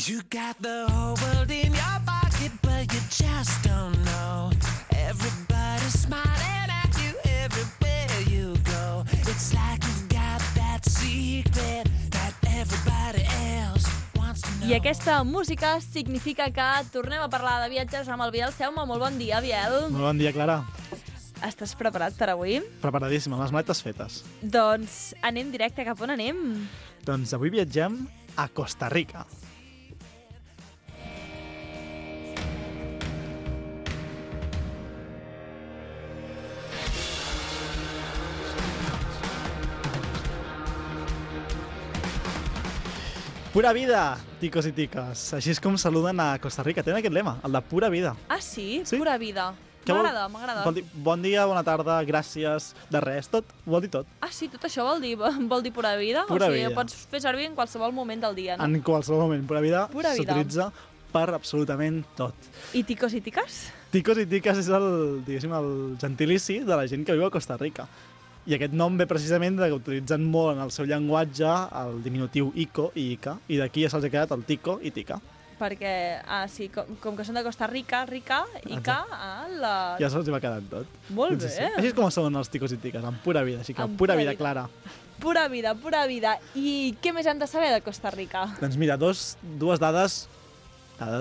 You got the whole world in your pocket, but you just don't know. Everybody's smiling at you everywhere you go. It's like you've got that secret that everybody else wants to know. I aquesta música significa que tornem a parlar de viatges amb el Biel Seume. Molt bon dia, Biel. Molt bon dia, Clara. Estàs preparat per avui? Preparadíssima, les maletes fetes. Doncs anem directe. Cap on anem? Doncs avui viatgem a Costa Rica. Pura vida, ticos i tiques. Així és com saluden a Costa Rica. Tenen aquest lema, el de pura vida. Ah, sí? Sí? Pura vida. Què vol- M'agrada. Bon dia, bona tarda, gràcies, de res, tot, vol dir tot. Ah, sí? Tot això vol dir pura vida? Pura o sigui, vida. pots fer servir en qualsevol moment del dia, no? En qualsevol moment, pura vida Pura vida. s'utilitza per absolutament tot. I ticos i tiques? Ticos i tiques és el gentilici de la gent que viu a Costa Rica. I aquest nom ve precisament de que utilitzen molt en el seu llenguatge el diminutiu ico i ica, i d'aquí ja se'ls ha quedat el tico i tica. Perquè, sí, com que són de Costa Rica, Ica, la... Ja se'ls va quedant tot. Molt Sí, bé. sí. Així és com són els ticos i tiques, amb pura vida. Així que Amb pura pura vida, vida. Clara. Pura vida. I què més hem de saber de Costa Rica? Doncs mira, dues dades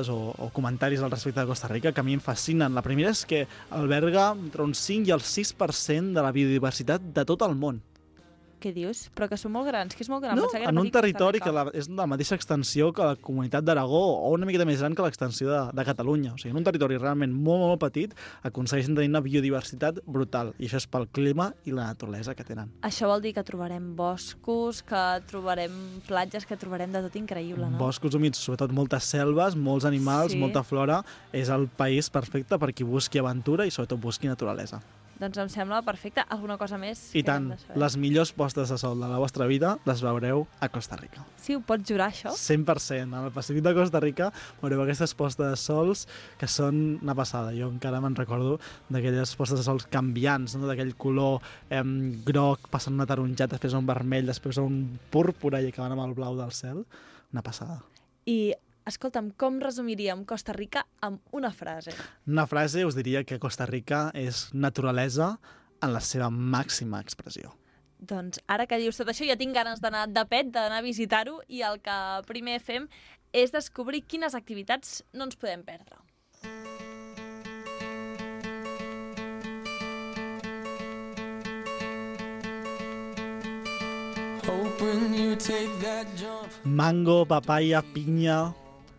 o comentaris al respecte de Costa Rica que a mi em fascinen. La primera és que alberga entre un 5 i el 6% de la biodiversitat de tot el món. Què dius? Però que són molt grans, que és molt gran. No, Pensava que era en un petit Costa territori Rica. que és de la mateixa extensió que la comunitat d'Aragó o una miqueta més gran que l'extensió de Catalunya. O sigui, en un territori realment molt petit aconsegueixen tenir una biodiversitat brutal. I això és pel clima i la naturalesa que tenen. Això vol dir que trobarem boscos, que trobarem platges, que trobarem de tot increïble, no? Boscos humits, sobretot moltes selves, molts animals, Sí. molta flora. És el país perfecte per qui busqui aventura i sobretot busqui naturalesa. Doncs em sembla perfecte. Alguna cosa més? I que hem tant, de saber? les millors postes de sol de la vostra vida les veureu a Costa Rica. Sí, ho pots jurar, això? 100%. Al Pacífic de Costa Rica veureu aquestes postes de sols que són una passada. Jo encara me'n recordo d'aquelles postes de sols canviants, no? D'aquell color groc, passant un ataronjat, després a un vermell, després a un púrpura i acabant amb el blau del cel. Una passada. I, escolta'm, com resumiríem Costa Rica amb una frase? Una frase us diria que Costa Rica és naturalesa en la seva màxima expressió. Doncs ara que dius tot això ja tinc ganes d'anar de pet, d'anar a visitar-ho, i el que primer fem és descobrir quines activitats no ens podem perdre. Hoping you take that jump. Mango, papaya, pinya,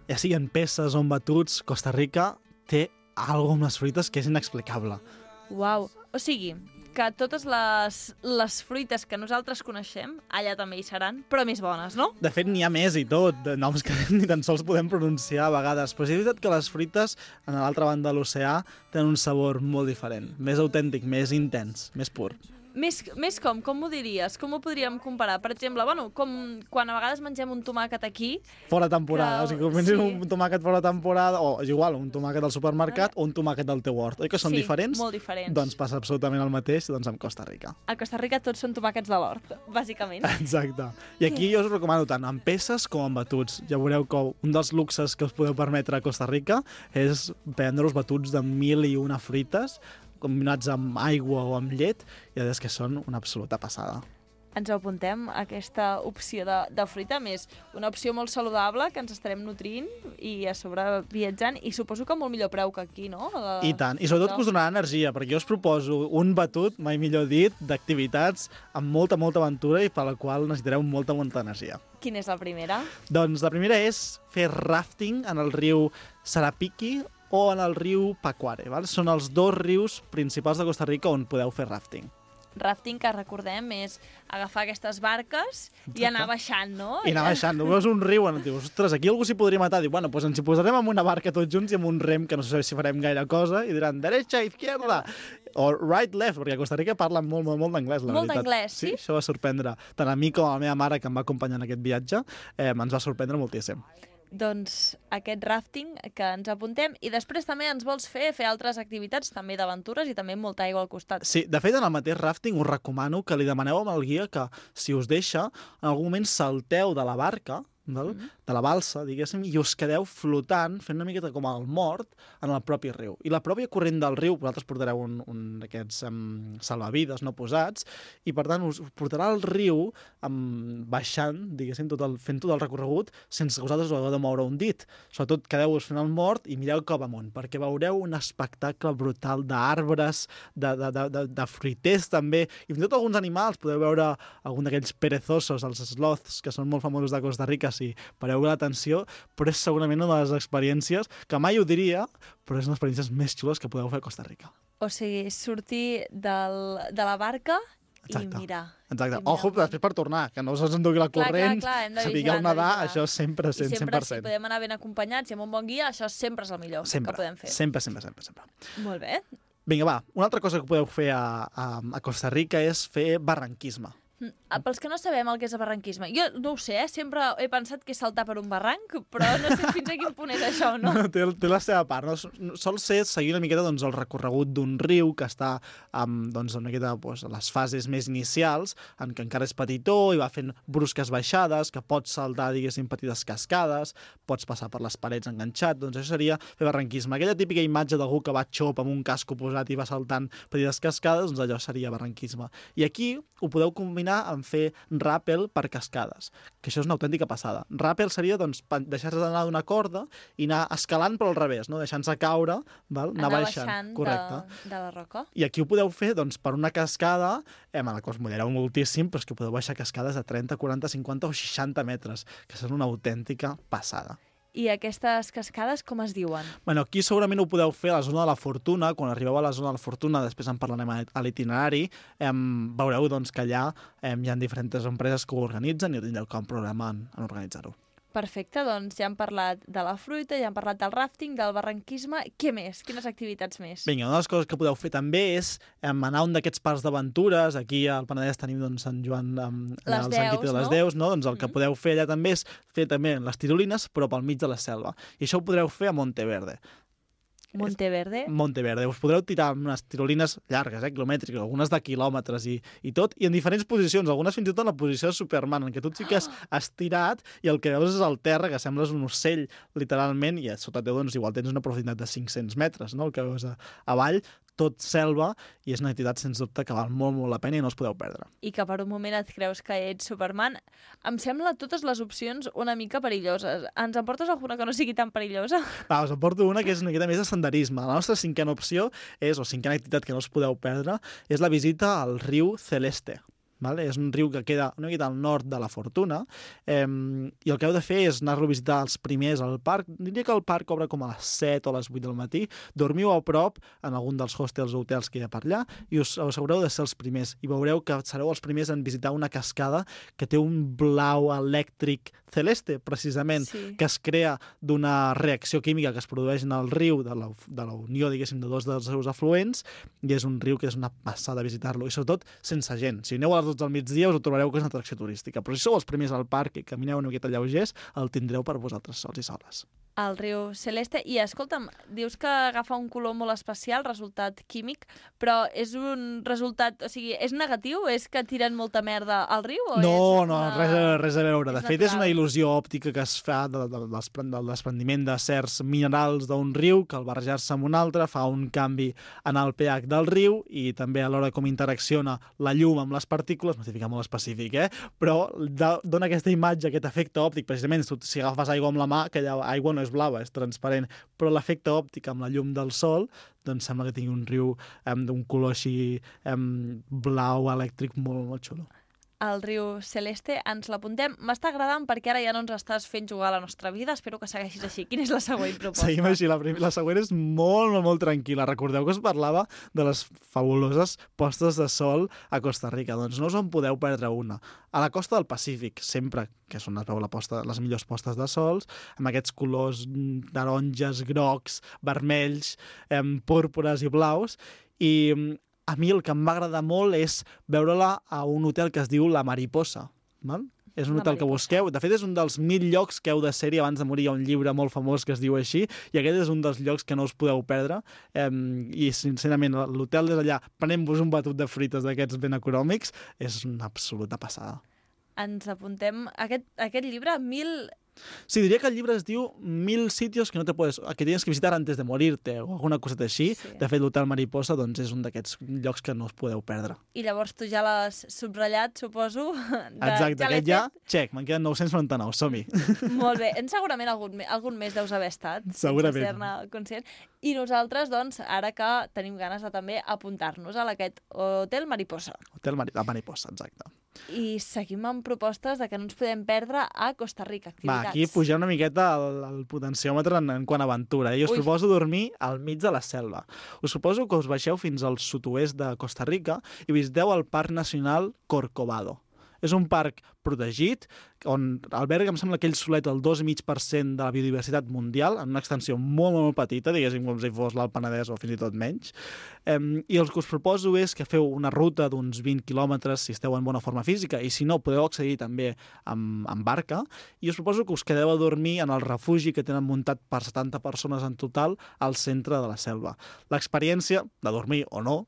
ja siguin peces o en batuts, Costa Rica té alguna amb les fruites que és inexplicable. Uau! O sigui, que totes les fruites que nosaltres coneixem, allà també hi seran, però més bones, no? De fet, n'hi ha més i tot, de noms que ni tan sols podem pronunciar a vegades, però és veritat que les fruites, a l'altra banda de l'oceà, tenen un sabor molt diferent, més autèntic, més intens, més pur. Més com ho diries? Com ho podríem comparar? Per exemple, bueno, com quan a vegades mengem un tomàquet aquí... Fora temporada, Que- o sigui, que menges sí. un tomàquet fora temporada, o és igual, un tomàquet al supermercat o un tomàquet del teu hort. Oi que són Sí, diferents? molt diferents. Doncs passa absolutament el mateix amb Costa Rica. A Costa Rica tots són tomàquets de l'hort, bàsicament. Exacte. I aquí jo us ho recomano tant en peces com en batuts. Ja veureu que un dels luxes que us podeu permetre a Costa Rica és prendre-us batuts de 1001 fruites combinats amb aigua o amb llet, i la veritat és que són una absoluta passada. Ens ho apuntem, aquesta opció de fruita, més una opció molt saludable que ens estarem nutrint i a sobre viatjant, i suposo que a molt millor preu que aquí, no? I tant, i sobretot que us donarà energia, perquè jo us proposo un batut, mai millor dit, d'activitats amb molta aventura i per la qual necessitareu molta energia. Quina és la primera? Doncs la primera és fer rafting en el riu Sarapiqui o en el riu Pacuare. Val? Són els dos rius principals de Costa Rica on podeu fer rafting. Rafting, que recordem, és agafar aquestes barques i anar baixant, no? I anar baixant. Veus un riu i dius, ostres, aquí algú s'hi podria matar. Diu, bueno, doncs ens hi posarem amb una barca tots junts i amb un rem que no sé si farem gaire cosa, i diran, derecha, izquierda, o right, left, perquè a Costa Rica parlen molt d'anglès, la Molt veritat. d'anglès, sí? Això va sorprendre tant a mi com a la meva mare, que em va acompanyar en aquest viatge, ens va sorprendre moltíssim. Doncs aquest rafting que ens apuntem, i després també ens vols fer altres activitats també d'aventures i també amb molta aigua al costat. Sí, de fet, en el mateix rafting us recomano que li demaneu al guia que, si us deixa, en algun moment salteu de la barca val? De la balsa, diguéssim, i us quedeu flotant, fent una miqueta com el mort en el propi riu. I la pròpia corrent del riu, vosaltres portareu un d'aquests salvavides no posats, i per tant us portarà al riu baixant, diguéssim, fent tot el recorregut sense que vosaltres ho hagueu de moure un dit. Sobretot quedeu-vos fent el mort i mireu cap amunt, perquè veureu un espectacle brutal d'arbres, de fruiters també, i fins i tot alguns animals. Podeu veure algun d'aquells perezosos, els sloths, que són molt famosos de Costa Rica, si pareu l'atenció, però és segurament una de les experiències que mai ho diria, però és una de les experiències més xules que podeu fer a Costa Rica. O sigui, sortir de la barca i mirar. Exacte. Ojo, després per tornar, que no us endugui la corrent, sapigueu nedar, això sempre, 100%. I sempre, si podem anar ben acompanyats i amb un bon guia, això sempre és el millor que podem fer. Sempre. Molt bé. Vinga, va, una altra cosa que podeu fer a Costa Rica és fer barranquisme. Pels que no sabem el que és el barranquisme, jo no ho sé, sempre he pensat que és saltar per un barranc, però no sé fins a quin punt és això, no? Té la seva part, no? Sol ser seguir una miqueta el recorregut d'un riu que està una miqueta a les fases més inicials, en què encara és petitó i va fent brusques baixades, que pots saltar, diguéssim, petites cascades, pots passar per les parets enganxat, doncs això seria fer barranquisme. Aquella típica imatge d'algú que va xop amb un casco posat i va saltant petites cascades, doncs allò seria barranquisme. I aquí ho podeu combinar amb fer ràpel per cascades, que això és una autèntica passada. Ràpel seria deixar-se d'anar d'una corda i anar escalant però al revés, no? Deixant-se caure, anar baixant de la roca. I aquí ho podeu fer per una cascada, a la que us mullareu moltíssim, però és que podeu baixar cascades de 30, 40, 50 o 60 metres, que són una autèntica passada. I aquestes cascades com es diuen? Bueno, aquí segurament ho podeu fer a la zona de la Fortuna. Quan arribeu a la zona de la Fortuna, després en parlarem a l'itinerari, veureu que allà hi ha diferents empreses que ho organitzen i tindreu cap problema en organitzar-ho. Perfecte, doncs ja hem parlat de la fruita, ja hem parlat del ràfting, del barranquisme. Què més? Quines activitats més? Vinga, una de les coses que podeu fer també és anar a un d'aquests parcs d'aventures. Aquí al Penedès tenim Sant Joan, el Sant Quintí de les Deus, no? Doncs el que podeu fer allà també és fer també les tirolines, però pel mig de la selva. I això ho podreu fer a Monteverde. Monteverde? Monteverde. Us podreu tirar unes tirolines llargues, quilomètriques, algunes de quilòmetres i tot, i en diferents posicions, algunes fins i tot en la posició de Superman, en què tu et fiques estirat i el que veus és el terra, que sembles un ocell, literalment, i sota teu, igual tens una profunditat de 500 metres, no?, el que veus avall, tot selva, i és una activitat, sens dubte, que val molt, molt la pena i no us podeu perdre. I que per un moment et creus que ets Superman. Em sembla totes les opcions una mica perilloses. Ens en portes alguna que no sigui tan perillosa? Va, us en porto una que és una miqueta més de senderisme. La nostra cinquena opció cinquena activitat que no us podeu perdre, és la visita al riu Celeste. Vale? És un riu que queda una miqueta al nord de la Fortuna, i el que heu de fer és anar-lo a visitar els primers al parc. Diria que el parc obre com a les 7 o a les 8 del matí. Dormiu a prop en algun dels hostels o hotels que hi ha per allà i us assegureu de ser els primers. I veureu que sereu els primers en visitar una cascada que té un blau elèctric celeste, precisament, que es crea d'una reacció química que es produeix en el riu, de la unió, diguéssim, de dos dels seus afluents, i és un riu que és una passada visitar-lo, i sobretot sense gent. Si aneu a les 12 del migdia us ho trobareu que és una atracció turística, però si sou els primers al parc i camineu una miqueta lleugers, el tindreu per vosaltres sols i soles. El riu Celeste. I escolta'm, dius que agafa un color molt especial, resultat químic, però és un resultat, o sigui, és negatiu? És que tiren molta merda al riu? No, res a veure. De fet, és una il·lusió òptica que es fa del desprendiment de certs minerals d'un riu, que al barrejar-se amb un altre fa un canvi en el pH del riu i també a l'hora com interacciona la llum amb les partícules, m'estic ficant molt específic, però dona aquesta imatge, aquest efecte òptic. Precisament, si agafes aigua amb la mà, aquella aigua no és blava, és transparent, però l'efecte òptic amb la llum del sol, doncs sembla que tingui un riu d'un color així blau elèctric molt, molt xulo. El riu Celeste, ens l'apuntem. M'està agradant perquè ara ja no ens estàs fent jugar a la nostra vida. Espero que segueixis així. Quina és la següent proposta? Seguim així. La següent és molt, molt, molt tranquil·la. Recordeu que us parlava de les fabuloses postes de sol a Costa Rica. Doncs no us en podeu perdre una. A la costa del Pacífic, sempre, que és on es veu les millors postes de sols, amb aquests colors taronges, grocs, vermells, púrpures i blaus, i a mi el que em va agradar molt és veure-la a un hotel que es diu La Mariposa. Val? És un hotel que busqueu. De fet, és un dels 1000 llocs que heu de ser-hi abans de morir. Hi ha un llibre molt famós que es diu així, i aquest és un dels llocs que no us podeu perdre. I, sincerament, l'hotel des d'allà, prenent-vos un batut de frites d'aquests ben econòmics, és una absoluta passada. ens apuntem aquest llibre, 1000... Sí, diria que el llibre es diu 1000 sitios que tienes que visitar antes de morirte o alguna coseta així. Sí. De fet, l'Hotel Mariposa doncs, és un d'aquests llocs que no us podeu perdre. I llavors tu ja l'has subratllat, suposo. Exacte, aquest ja, check, me'n queden 999, som-hi. Molt bé, segurament algun mes deus haver estat. Segurament. Sense ser-ne conscient. I nosaltres, doncs, ara que tenim ganes de també apuntar-nos a aquest Hotel Mariposa. Mariposa, exacte. I seguim amb propostes de que no ens podem perdre a Costa Rica, activitats. Va, aquí pujar una miqueta el potenciòmetre en quant a aventura. I us proposo dormir al mig de la selva. Us proposo que us baixeu fins al sud-oest de Costa Rica i visiteu el Parc Nacional Corcovado. És un parc protegit on alberga, em sembla, aquell solet el 2,5% de la biodiversitat mundial, en una extensió molt, molt petita, diguéssim, com si fos l'Alt Penedès o fins i tot menys. I el que us proposo és que feu una ruta d'uns 20 quilòmetres si esteu en bona forma física, i si no, podeu accedir també amb barca, i us proposo que us quedeu a dormir en el refugi que tenen muntat per 70 persones en total al centre de la selva. L'experiència, de dormir o no...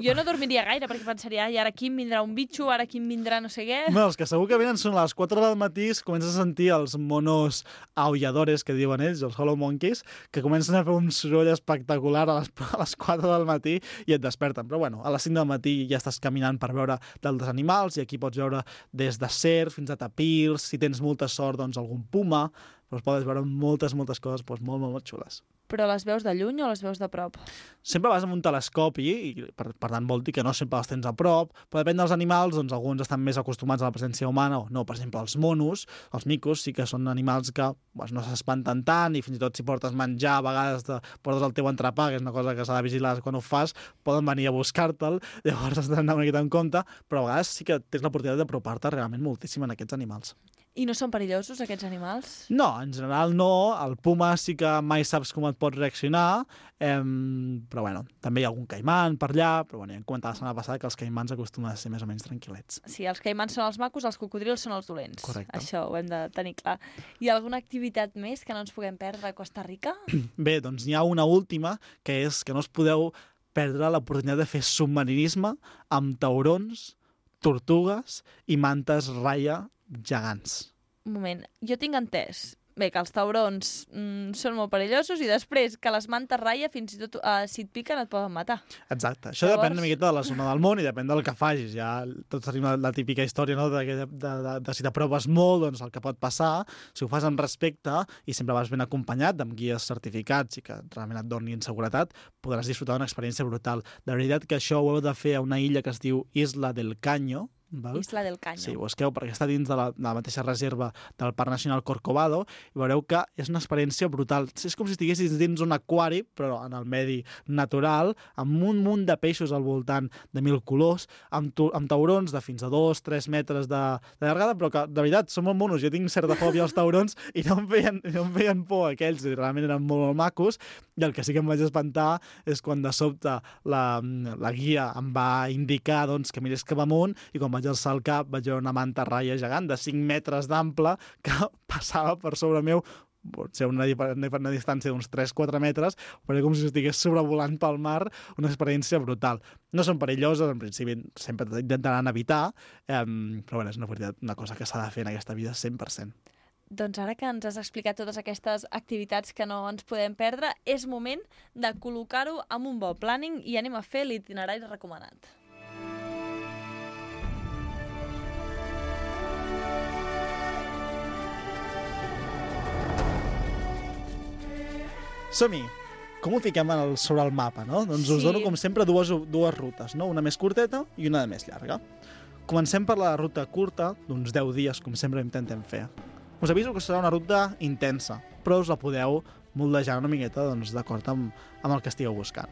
Jo no dormiria gaire, perquè pensaria, i ara aquí em vindrà un bitxo, ara aquí em vindrà no sé què... No, els que segur que venen són a les 4 del matí, comences a sentir els monos aulladores, que diuen ells, els Hollow Monkeys, que comencen a fer un soroll espectacular a les 4 del matí i et desperten. Però bueno, a les 5 del matí ja estàs caminant per veure d'altres animals, i aquí pots veure des de cerf fins a tapirs, si tens molta sort, doncs algun puma, però podes veure moltes coses doncs, molt, molt xules. Però les veus de lluny o les veus de prop? Sempre vas amb un telescopi i per tant vol dir que no sempre els tens a prop, però depèn dels animals, doncs alguns estan més acostumats a la presència humana o no. Per exemple, els monos, els micos, sí que són animals que no s'espanten tant, i fins i tot si portes menjar, a vegades portes el teu entrepà, que és una cosa que s'ha de vigilar quan ho fas, poden venir a buscar-te'l, llavors has d'anar una miqueta en compte, però a vegades sí que tens l'oportunitat d'apropar-te realment moltíssim en aquests animals. I no són perillosos, aquests animals? No, en general no. El puma sí que mai saps com et pot reaccionar, però bueno, també hi ha algun caiman per allà, però bueno, ja hem comentat la setmana passada que els caimans acostumen a ser més o menys tranquil·lets. Sí, els caimans són els macos, els cocodrils són els dolents. Correcte. Això ho hem de tenir clar. Hi ha alguna activitat més que no ens puguem perdre a Costa Rica? Bé, doncs n'hi ha una última, que és que no us podeu perdre l'oportunitat de fer submarinisme amb taurons, tortugues i mantes raia gegants. Un moment, jo tinc entès que els taurons són molt perillosos i després que les mantes raia fins i tot si et piquen et poden matar. Exacte. Això depèn una miqueta de la zona del món i depèn del que facis. Ja tots tenim la típica història, no? de si t'apropes molt, doncs el que pot passar. Si ho fas amb respecte i sempre vas ben acompanyat amb guies certificats i que realment et donin seguretat, podràs disfrutar d'una experiència brutal. De veritat que això ho heu de fer a una illa que es diu Isla del Caño. Val? Isla del Caño. Sí, busqueu perquè està dins de la mateixa reserva del Parc Nacional Corcovado i veureu que és una experiència brutal. És com si estiguessis dins un aquari, però en el medi natural, amb un munt de peixos al voltant de 1000 colors, amb taurons de fins a 2-3 metres de llargada, però que, de veritat, són molt monos. Jo tinc certa fòbia als taurons i no em feien por aquells, i realment eren molt, molt macos, i el que sí que em vaig espantar és quan de sobte la guia em va indicar doncs, que mirés cap amunt, i quan vaig alçar el cap vaig veure una manta raia gegant de 5 metres d'ample que passava per sobre meu, potser una distància d'uns 3-4 metres, però com si estigués sobrevolant pel mar, una experiència brutal. No són perilloses, en principi sempre intentaran evitar, però bueno, és una cosa que s'ha de fer en aquesta vida 100%. Doncs ara que ens has explicat totes aquestes activitats que no ens podem perdre, és moment de col·locar-ho amb un bon planning i anem a fer l'itinerari recomanat. Som-hi! Com ho fiquem sobre el mapa, no? Doncs us dono, com sempre, dues rutes, no? Una més curteta i una més llarga. Comencem per la ruta curta, d'uns 10 dies, com sempre intentem fer. Us aviso que serà una ruta intensa, però us la podeu moldejar una miqueta d'acord amb el que estigueu buscant.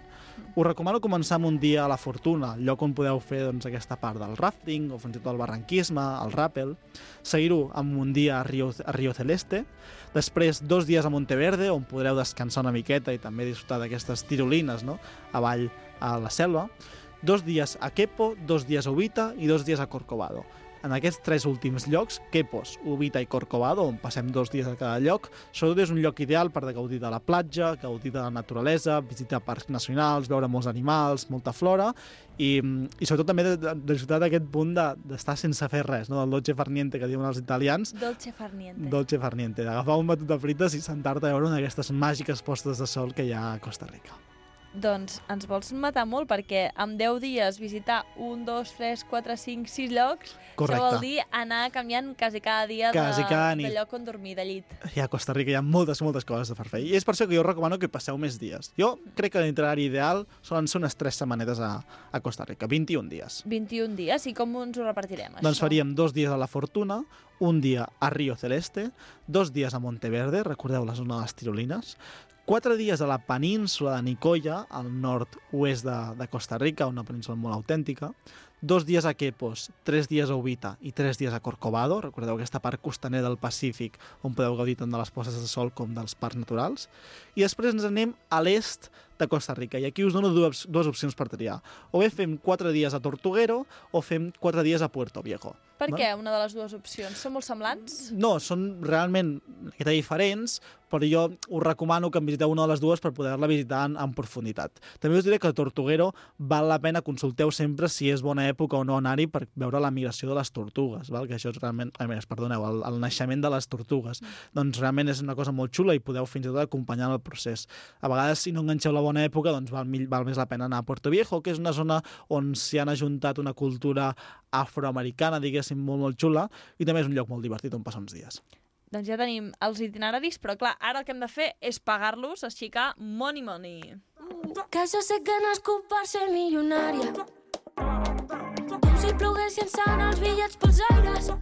Us recomano començar amb un dia a la Fortuna, lloc on podeu fer aquesta part del rafting o fins i tot el barranquisme, el ràpel, seguir-ho amb un dia a Río Celeste, després 2 dies a Monteverde, on podreu descansar una miqueta i també disfrutar d'aquestes tirolines, no? Avall a la selva, 2 dies a Quepo, 2 dies a Ubita i 2 dies a Corcovado. en aquests 3 últims llocs, Quepos, Ubita i Corcovado, on passem 2 dies a cada lloc, sobretot és un lloc ideal per gaudir de la platja, gaudir de la naturalesa, visitar parcs nacionals, veure molts animals, molta flora, i sobretot també de disfrutar d'aquest punt d'estar sense fer res, no? Del dolce far niente que diuen els italians. Dolce far niente. Dolce far niente, d'agafar un batut de frites i sentar-te a veure una d'aquestes màgiques postes de sol que hi ha a Costa Rica. Doncs ens vols matar molt, perquè amb 10 dies visitar 1, 2, 3, 4, 5, 6 llocs, Correcte. això vol dir anar canviant quasi cada dia de lloc on dormir, de llit. I a Costa Rica hi ha moltes coses de fer. I és per això que jo recomano que passeu més dies. Jo crec que l'itinerari ideal solen ser unes 3 setmanetes a Costa Rica, 21 dies. 21 dies, i com ens ho repartirem, Doncs això? faríem 2 dies a La Fortuna, un dia a Río Celeste, 2 dies a Monteverde, recordeu la zona de les Tirolines, 4 dies a la península de Nicoya, al nord-oest de Costa Rica, una península molt autèntica, 2 dies a Quepos, 3 dies a Ubita i 3 dies a Corcovado, recordeu aquesta part costanera del Pacífic on podeu gaudir tant de les postes de sol com dels parcs naturals, i després ens anem a l'est de Costa Rica, i aquí us dono dues opcions per triar. O bé fem 4 dies a Tortuguero o fem 4 dies a Puerto Viejo. Per què una de les dues opcions? Són molt semblants? No, són realment diferents, però jo us recomano que em visiteu una de les dues per poder-la visitar en profunditat. També us diré que a Tortuguero val la pena, consulteu sempre si és bona època o no anar-hi per veure la migració de les tortugues, val? Que això és realment, perdoneu, el naixement de les tortugues. Doncs realment és una cosa molt xula i podeu fins i tot acompanyar el procés. A vegades, si no enganxeu la bona època, doncs val més la pena anar a Puerto Viejo, que és una zona on s'hi han ajuntat una cultura afroamericana, diguéssim, molt xula, i també és un lloc molt divertit on passar uns dies. Doncs ja tenim els itineraris, però clar, ara el que hem de fer és pagar-los, aixecar money. Que jo sé que no has per ser milionària. Com si ploguessin sant els bitllets pels aires.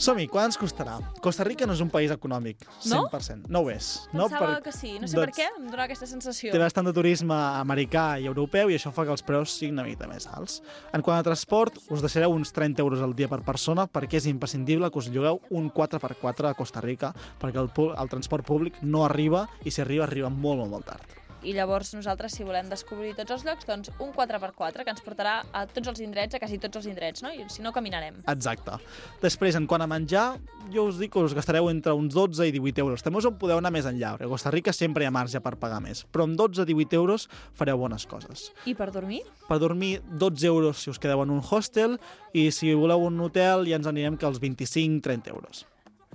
Som-hi, quant ens costarà? Costa Rica no és un país econòmic, 100%. No ho és. Pensava que sí, no sé per què, em dona aquesta sensació. Té bastant de turisme americà i europeu i això fa que els preus siguin una mica més alts. En quant a transport, us deixareu uns 30 euros al dia per persona perquè és imprescindible que us llogueu un 4x4 a Costa Rica perquè el transport públic no arriba i si arriba molt tard. I llavors nosaltres, si volem descobrir tots els llocs, doncs un 4x4 que ens portarà a tots els indrets, a quasi tots els indrets, no? I si no, caminarem. Exacte. Després, en quant a menjar, jo us dic que us gastareu entre uns 12 i 18 euros. També us en podeu anar més enllà, perquè a Costa Rica sempre hi ha marge per pagar més. Però amb 12 i 18 euros fareu bones coses. I per dormir? Per dormir, 12 euros si us quedeu en un hostel i si voleu un hotel ja ens anirem que als 25-30 euros.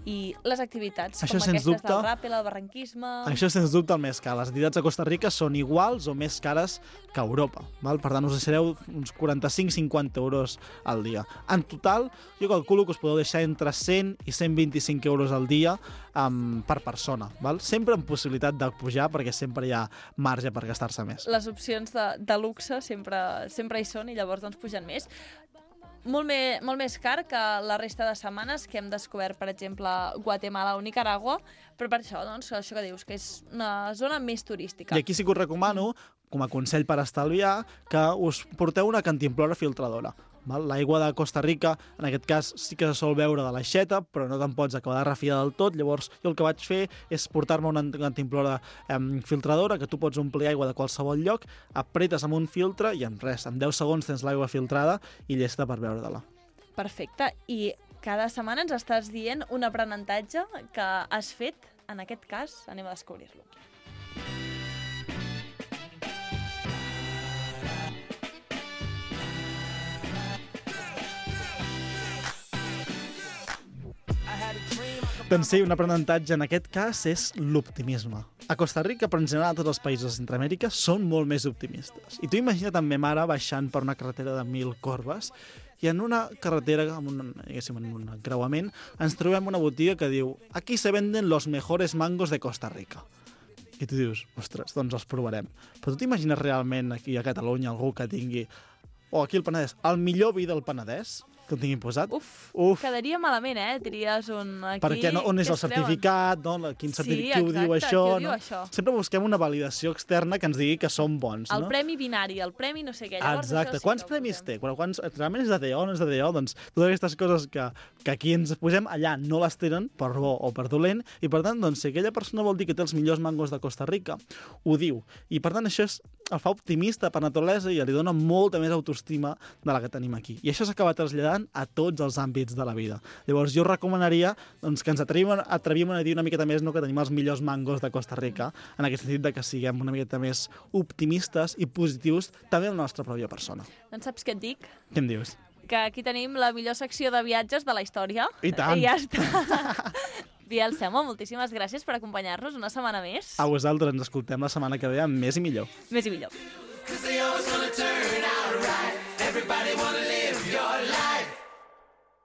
I les activitats, això, com aquestes del ràpel, el barranquisme... Això, sens dubte, el més car. Les activitats a Costa Rica són iguals o més cares que a Europa. Val? Per tant, us deixareu uns 45-50 euros al dia. En total, jo calculo que us podeu deixar entre 100 i 125 euros al dia per persona. Val? Sempre amb possibilitat de pujar, perquè sempre hi ha marge per gastar-se més. Les opcions de luxe sempre hi són i llavors doncs pugen més. Molt més car que la resta de setmanes que hem descobert, per exemple, Guatemala o Nicaragua, però per això, doncs, això que dius, que és una zona més turística. I aquí sí que us recomano, com a consell per estalviar, que us porteu una cantimplora filtradora. L'aigua de Costa Rica, en aquest cas, sí que se sol veure de l'aixeta, però no te'n pots acabar de refiar del tot. Llavors, jo el que vaig fer és portar-me una cantimplora filtradora, que tu pots omplir aigua de qualsevol lloc, apretes amb un filtre i en 10 segons tens l'aigua filtrada i llesta per beure-te-la. Perfecte. I cada setmana ens estàs dient un aprenentatge que has fet, en aquest cas, anem a descobrir-lo. Doncs sí, un aprenentatge en aquest cas és l'optimisme. A Costa Rica, però en general a tots els països de Centroamèrica, són molt més optimistes. I tu imagina't amb ma mare baixant per una carretera de 1000 corbes i en una carretera, en un creuament, ens trobem una botiga que diu «Aquí se venden los mejores mangos de Costa Rica». I tu dius, ostres, doncs els provarem. Però tu t'imagines realment aquí a Catalunya algú que tingui, o aquí al Penedès, el millor vi del Penedès? que ho tinguin posat. Uf, Uf. quedaria malament, Tries un aquí... Perquè on és què el es creuen? certificat, quin certificat, qui ho diu això, qui ho diu no? això? Sempre busquem una validació externa que ens digui que som bons, El no? premi binari, el premi no sé què. Llavors, Exacte. això sí Quants que ho premis posem. té? Realment és de DO o no és de DO? Doncs totes aquestes coses que aquí ens posem, allà no les tenen, per bo o per dolent, i per tant, doncs, si aquella persona vol dir que té els millors mangos de Costa Rica, ho diu. I per tant, això el fa optimista per naturalesa i li dona molta més autoestima de la que tenim aquí. I això s'acaba traslladant a tots els àmbits de la vida. Llavors, jo recomanaria doncs, que ens atrevíem a dir una miqueta més que tenim els millors mangos de Costa Rica, en aquest sentit de que siguem una miqueta més optimistes i positius també en la nostra pròpia persona. Doncs saps què et dic? Què em dius? Que aquí tenim la millor secció de viatges de la història. I tant. I ja està. Biel Semo, moltíssimes gràcies per acompanyar-nos una setmana més. A vosaltres ens escoltem la setmana que ve amb més i millor. Més i millor. 'Cause they always gonna turn out right.